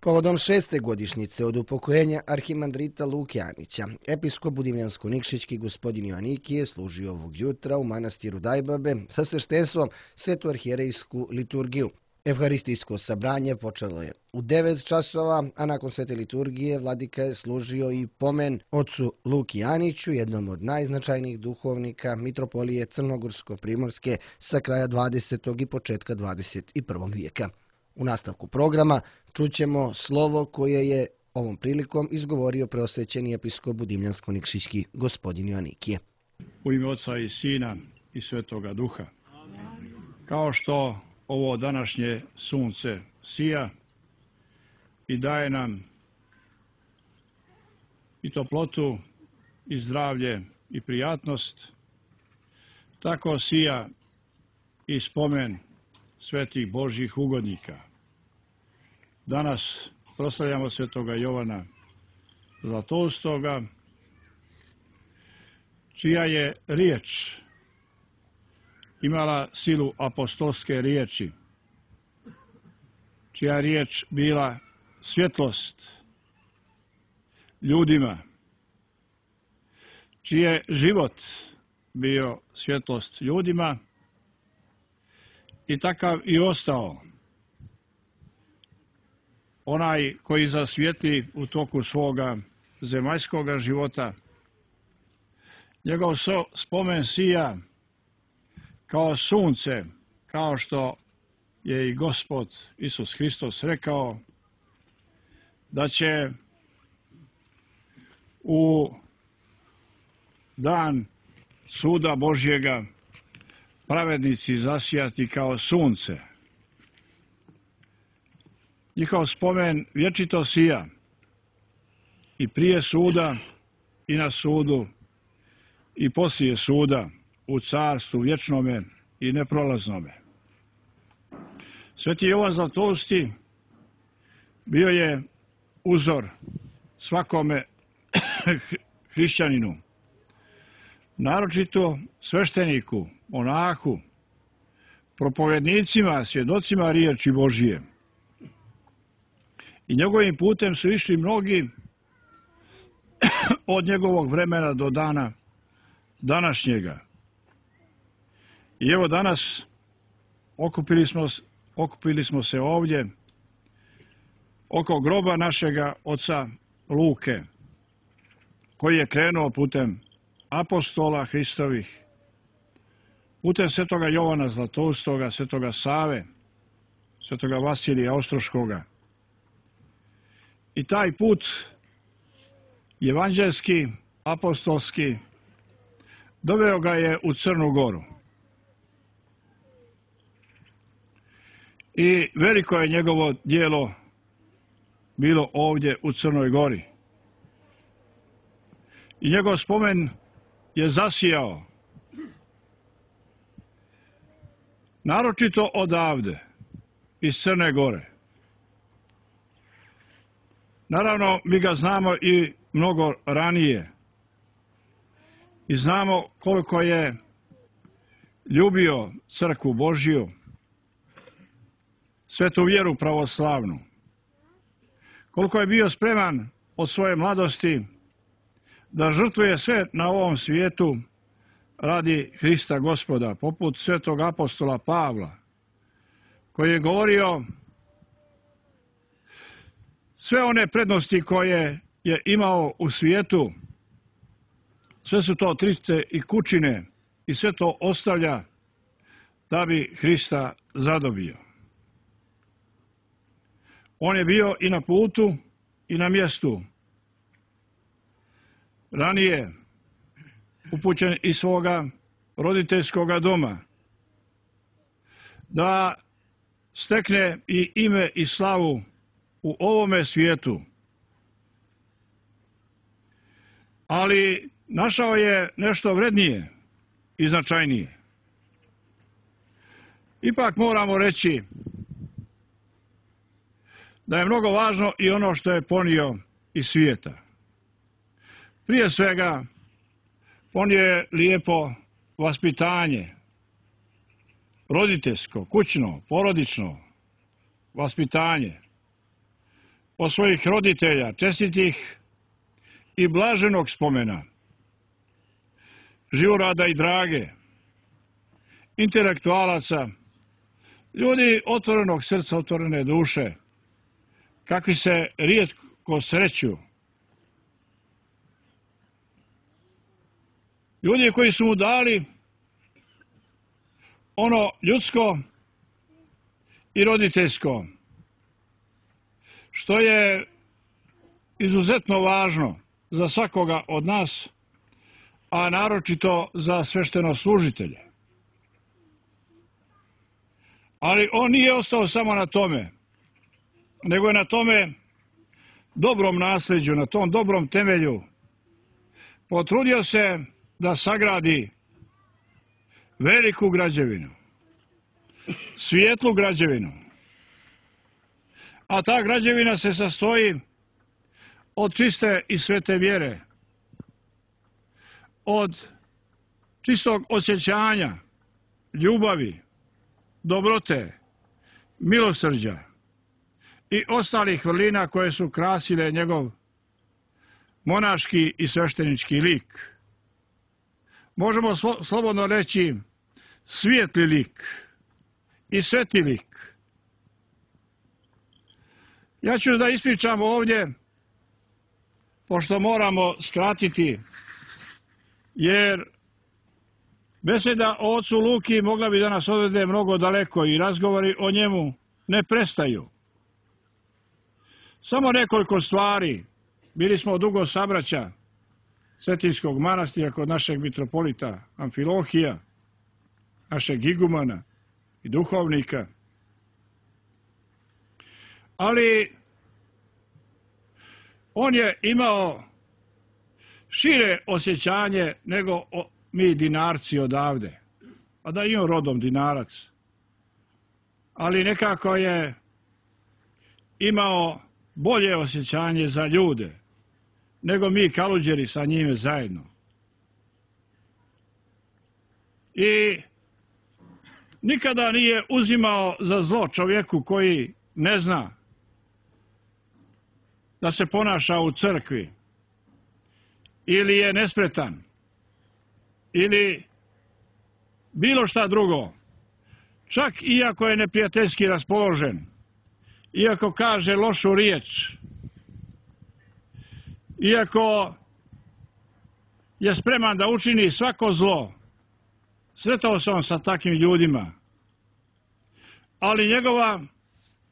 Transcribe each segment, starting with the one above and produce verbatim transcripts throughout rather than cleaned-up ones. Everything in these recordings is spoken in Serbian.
Povodom šeste godišnjice od upokojenja arhimandrita Luke Anića, episkop Budimljansko-Nikšićki gospodin Joanikije služio ovog jutra u manastiru Dajbabe sa sveštenstvom svetu arhijerejsku liturgiju. Evharistijsko sabranje počelo je u devet časova, a nakon svete liturgije vladika je služio i pomen ocu Luki Aniću, jednom od najznačajnijih duhovnika mitropolije Crnogorsko-Primorske sa kraja dvadesetog i početka dvadeset i prvog vijeka. U nastavku programa čućemo slovo koje je ovom prilikom izgovorio preosvećeni episkop Budimljansko-Nikšićki gospodin Joanikije. U ime Oca i Sina i Svetoga Duha. Kao što ovo današnje sunce sija i daje nam i toplotu i zdravlje i prijatnost, tako sija i spomen svetih Božjih ugodnika. Danas proslavljamo svetoga Jovana Zlatoustoga, čija je riječ imala silu apostolske riječi, čija je riječ bila svjetlost ljudima, čiji je život bio svjetlost ljudima i takav i ostao. Onaj koji zasvijetli u toku svoga zemaljskoga života, njegov spomen sija kao sunce, kao što je i Gospod Isus Hristos rekao da će u dan suda Božjega pravednici zasijati kao sunce. Njihov spomen vječito sija i prije suda i na sudu i poslije suda u carstvu vječnome i neprolaznome. Sveti Jovan Zlatousti bio je uzor svakome hrišćaninu, naročito svešteniku, monahu, propovednicima, svjedocima riječi Božije. I njegovim putem su išli mnogi od njegovog vremena do dana današnjega. I evo danas okupili smo, okupili smo se ovdje oko groba našega oca Luke, koji je krenuo putem apostola Hristovih, putem svetoga Jovana Zlatoustoga, svetoga Save, svetoga Vasilija Ostroškoga. I taj put evanđelski, apostolski, doveo ga je u Crnu Goru. I veliko je njegovo djelo bilo ovdje u Crnoj Gori. I njegov spomen je zasijao naročito odavde, iz Crne Gore. Naravno, mi ga znamo i mnogo ranije. I znamo koliko je ljubio crkvu Božju, svetu vjeru pravoslavnu. Koliko je bio spreman od svoje mladosti da žrtvuje sve na ovom svijetu radi Hrista Gospoda, poput svetog apostola Pavla, koji je govorio sve one prednosti koje je imao u svijetu, sve su to trice i kućine i sve to ostavlja da bi Hrista zadobio. On je bio i na putu i na mjestu. Ranije upućen iz svoga roditeljskoga doma da stekne i ime i slavu u ovome svijetu. Ali našao je nešto vrednije i značajnije. Ipak moramo reći da je mnogo važno i ono što je ponio iz svijeta. Prije svega, ponio je lijepo vaspitanje, roditeljsko, kućno, porodično vaspitanje. od svojih roditelja, čestitih i blaženog spomena, Živorada i Drage, intelektualaca, ljudi otvorenog srca, otvorene duše, kakvi se rijetko sreću. Ljudi koji su mu dali ono ljudsko i roditeljsko, što je izuzetno važno za svakoga od nas, a naročito za sveštenoslужitelje. Ali on nije ostao samo na tome, nego je na tome dobrom nasljeđu, na tom dobrom temelju potrudio se da sagradi veliku građevinu, svijetlu građevinu. A ta građevina se sastoji od čiste i svete vjere, od čistog osjećanja, ljubavi, dobrote, milosrđa i ostalih vrlina koje su krasile njegov monaški i sveštenički lik. Možemo slobodno reći svijetli lik i sveti lik. Ja ću da ispričam ovdje, pošto moramo skratiti, jer beseda o ocu Luki mogla bi da nas odvede mnogo daleko i razgovori o njemu ne prestaju. Samo nekoliko stvari. Bili smo dugo sabraća Cetinskog manastira kod našeg mitropolita Amfilohija, našeg igumana i duhovnika. Ali on je imao šire osjećanje nego mi dinarci odavde. A da i on rodom dinarac. Ali nekako je imao bolje osjećanje za ljude nego mi kaluđeri sa njime zajedno. I nikada nije uzimao za zlo čovjeku koji ne zna da se ponaša u crkvi, ili je nespretan, ili bilo šta drugo. Čak iako je neprijateljski raspoložen, iako kaže lošu riječ, iako je spreman da učini svako zlo, sretao se on sa takvim ljudima, ali njegova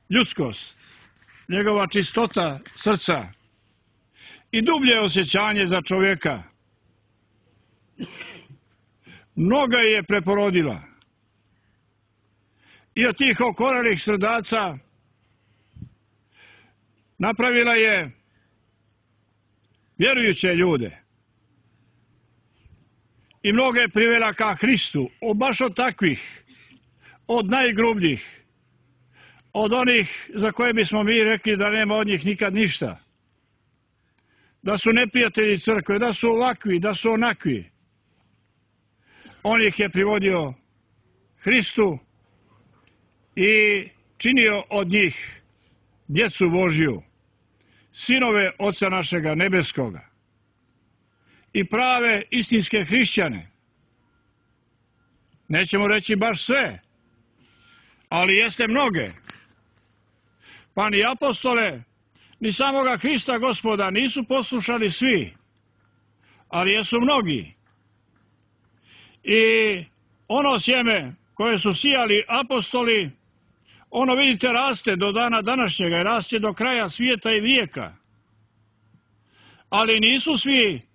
ljudskost, njegova čistota srca i dublje osjećanje za čovjeka mnoga je preporodila. I od tih okorelih srdaca napravila je vjerujuće ljude i mnoge je privela ka Hristu, o baš od takvih, od najgrubljih, od onih za koje bismo mi rekli da nema od njih nikad ništa, da su neprijatelji crkve, da su ovakvi, da su onakvi. On ih je privodio Hristu i činio od njih djecu Božju, sinove Oca našega nebeskoga i prave istinske hrišćane. Nećemo reći baš sve, ali jeste mnoge. Pa ni apostole, ni samoga Hrista Gospoda nisu poslušali svi, ali jesu mnogi. I ono sjeme koje su sijali apostoli, ono vidite raste do dana današnjega i raste do kraja svijeta i vijeka. Ali nisu svi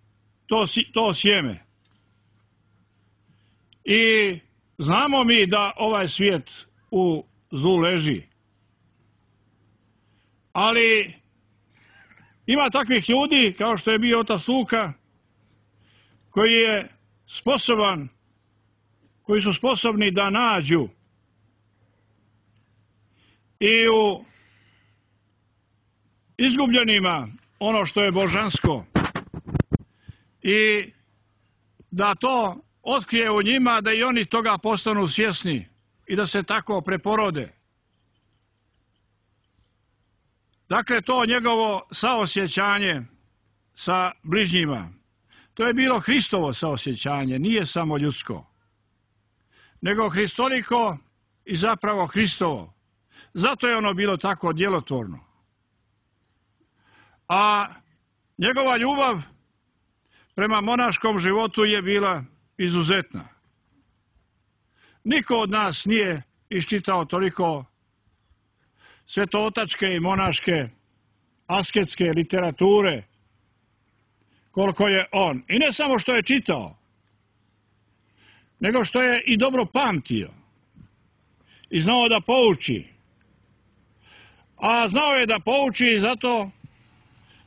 to, to sjeme. I znamo mi da ovaj svijet u zlu leži. Ali ima takvih ljudi, kao što je bio otac Luka, koji je sposoban, koji su sposobni da nađu i u izgubljenima ono što je božansko i da to otkrije u njima, da i oni toga postanu svjesni i da se tako preporode. Dakle, to njegovo saosjećanje sa bližnjima, to je bilo Hristovo saosjećanje, nije samo ljudsko, nego hristoliko i zapravo Hristovo. Zato je ono bilo tako djelotvorno. A njegova ljubav prema monaškom životu je bila izuzetna. Niko od nas nije iščitao toliko svetootačke i monaške asketske literature koliko je on. I ne samo što je čitao, nego što je i dobro pamtio i znao da pouči. A znao je da pouči zato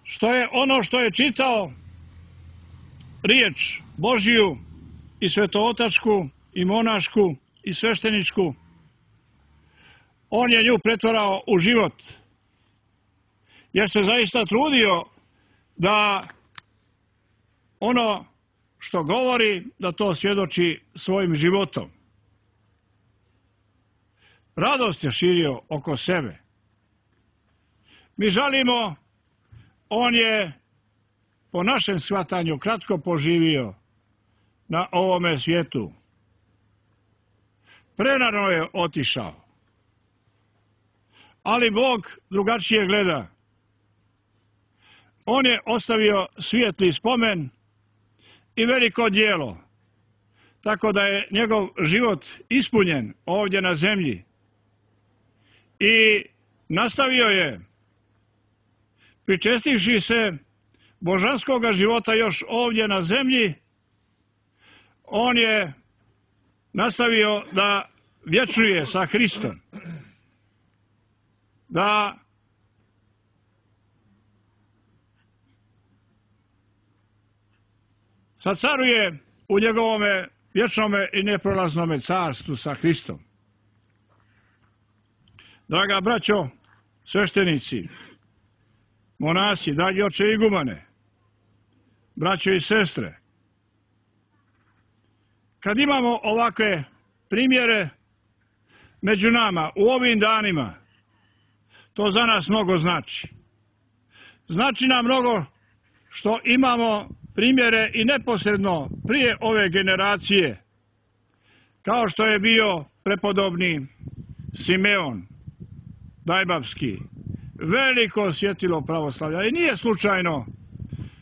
što je ono što je čitao, riječ Božiju i svetootačku i monašku i svešteničku, on je nju pretvarao u život. Jer se zaista trudio da ono što govori, da to svjedoči svojim životom. Radost je širio oko sebe. Mi žalimo, on je po našem shvatanju kratko poživio na ovome svijetu. Prerano je otišao. Ali Bog drugačije gleda. On je ostavio svijetli spomen i veliko djelo, tako da je njegov život ispunjen ovdje na zemlji. I nastavio je, pričestivši se božanskoga života još ovdje na zemlji, on je nastavio da vječnuje sa Hristom. Da sad caruje u njegovome vječnome i neprolaznome carstvu sa Hristom. Draga braćo, sveštenici, monasi, dragi oče igumane, braćo i sestre, kad imamo ovakve primjere među nama u ovim danima, to za nas mnogo znači. Znači nam mnogo što imamo primjere i neposredno prije ove generacije, kao što je bio prepodobni Simeon Dajbavski, veliko svjetilo pravoslavlja. I nije slučajno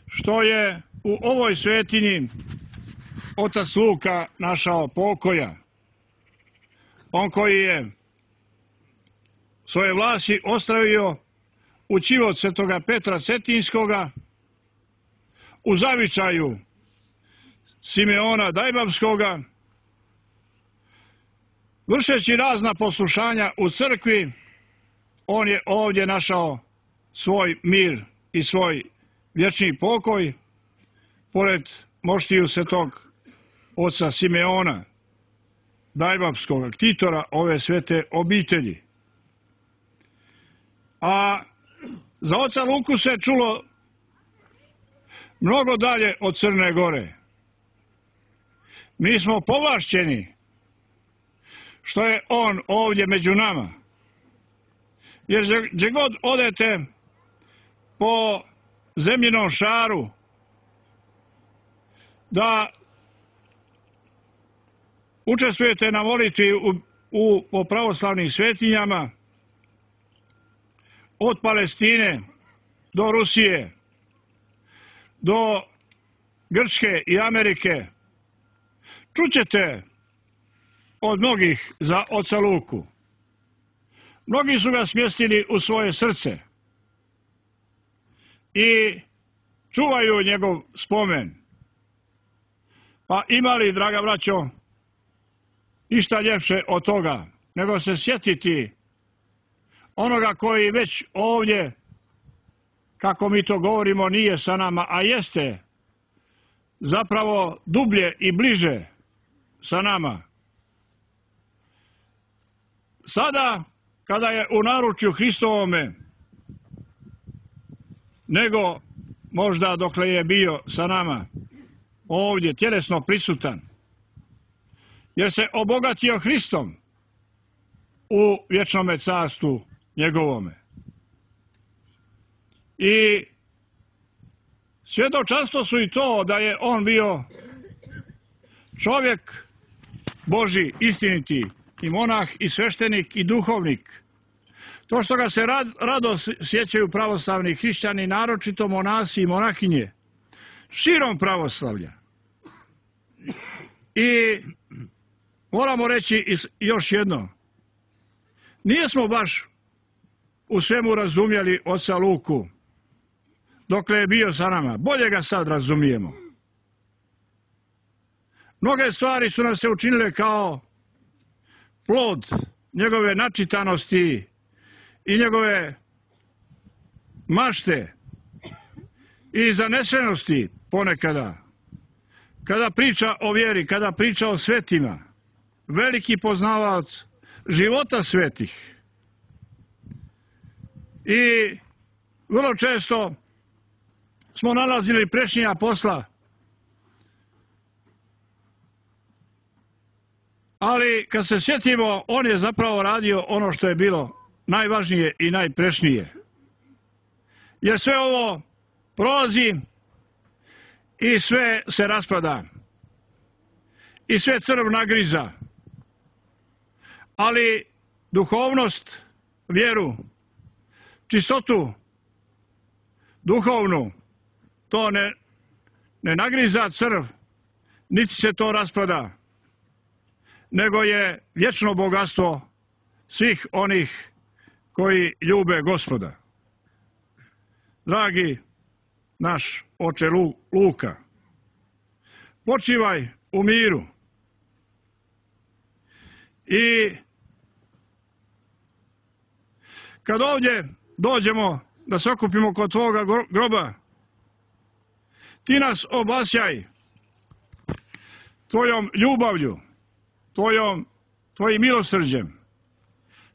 što je u ovoj svetinji otac Luka našao pokoja. On koji je svoje vlasi ostavio u ćivot svetoga Petra Cetinskoga, u zavičaju Simeona Dajbavskoga, vršeći razna poslušanja u crkvi, on je ovdje našao svoj mir i svoj vječni pokoj, pored moštiju svetog oca Simeona Dajbavskoga, ktitora ove svete obitelji. A za oca Luku se čulo mnogo dalje od Crne Gore. Mi smo povlašćeni što je on ovdje među nama. Jer gdje god odete po zemljinom šaru da učestvujete na molitvi u, u, po pravoslavnim svetinjama, od Palestine do Rusije, do Grčke i Amerike, čućete od mnogih za oca Luku. Mnogi su ga smjestili u svoje srce i čuvaju njegov spomen. Pa imali, draga braćo, išta ljepše od toga, nego se sjetiti onoga koji već ovdje, kako mi to govorimo, nije sa nama, a jeste zapravo dublje i bliže sa nama. Sada, kada je u naručju Hristovome, nego možda dokle je bio sa nama ovdje tjelesno prisutan, jer se obogatio Hristom u vječnome carstvu njegovome. I svjedočanstvo su i to da je on bio čovjek Boži, istiniti, i monah, i sveštenik, i duhovnik. To što ga se rad, rado sjećaju pravoslavni hrišćani, naročito monasi i monahinje, širom pravoslavlja. I moramo reći još jedno. Nijesmo baš u svemu razumjeli oca Luku dokle je bio sa nama. Bolje ga sad razumijemo. Mnoge stvari su nam se učinile kao plod njegove načitanosti i njegove mašte i zanesenosti ponekada. Kada priča o vjeri, kada priča o svetima, veliki poznavac života svetih. I vrlo često smo nalazili prešnja posla, ali kad se sjetimo, on je zapravo radio ono što je bilo najvažnije i najprešnije. Jer sve ovo prolazi i sve se raspada. I sve crv nagriza. Ali duhovnost, vjeru, čistotu, duhovnu, to ne, ne nagriza crv, niti se to raspada, nego je vječno bogatstvo svih onih koji ljube Gospoda. Dragi naš oče Luka, počivaj u miru. I kad ovdje dođemo da se okupimo kod tvoga groba, ti nas obasjaj tvojom ljubavlju, tvojom, tvojim milosrđem,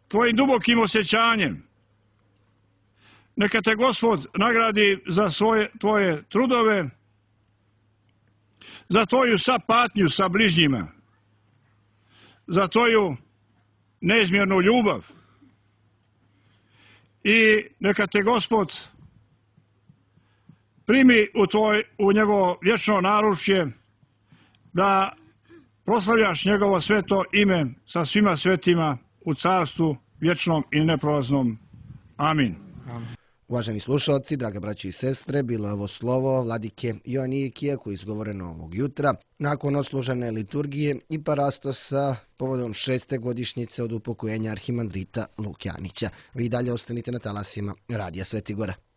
tvojim dubokim osjećanjem. Neka te Gospod nagradi za svoje, tvoje trudove, za tvoju sapatnju sa bližnjima, za tvoju neizmjernu ljubav. I neka te Gospod primi u, tvoj, u njegovo vječno naručje da proslavljaš njegovo sveto ime sa svima svetima u carstvu vječnom i neprolaznom. Amin. Amin. Uvaženi slušalci, draga braći i sestre, bilo je ovo slovo vladike Joanikija koje je izgovoreno ovog jutra nakon odslužene liturgije i parastosa povodom šeste godišnjice od upokojenja arhimandrita Lukjanića. Vi dalje ostanite na talasima Radija Sveti Gora.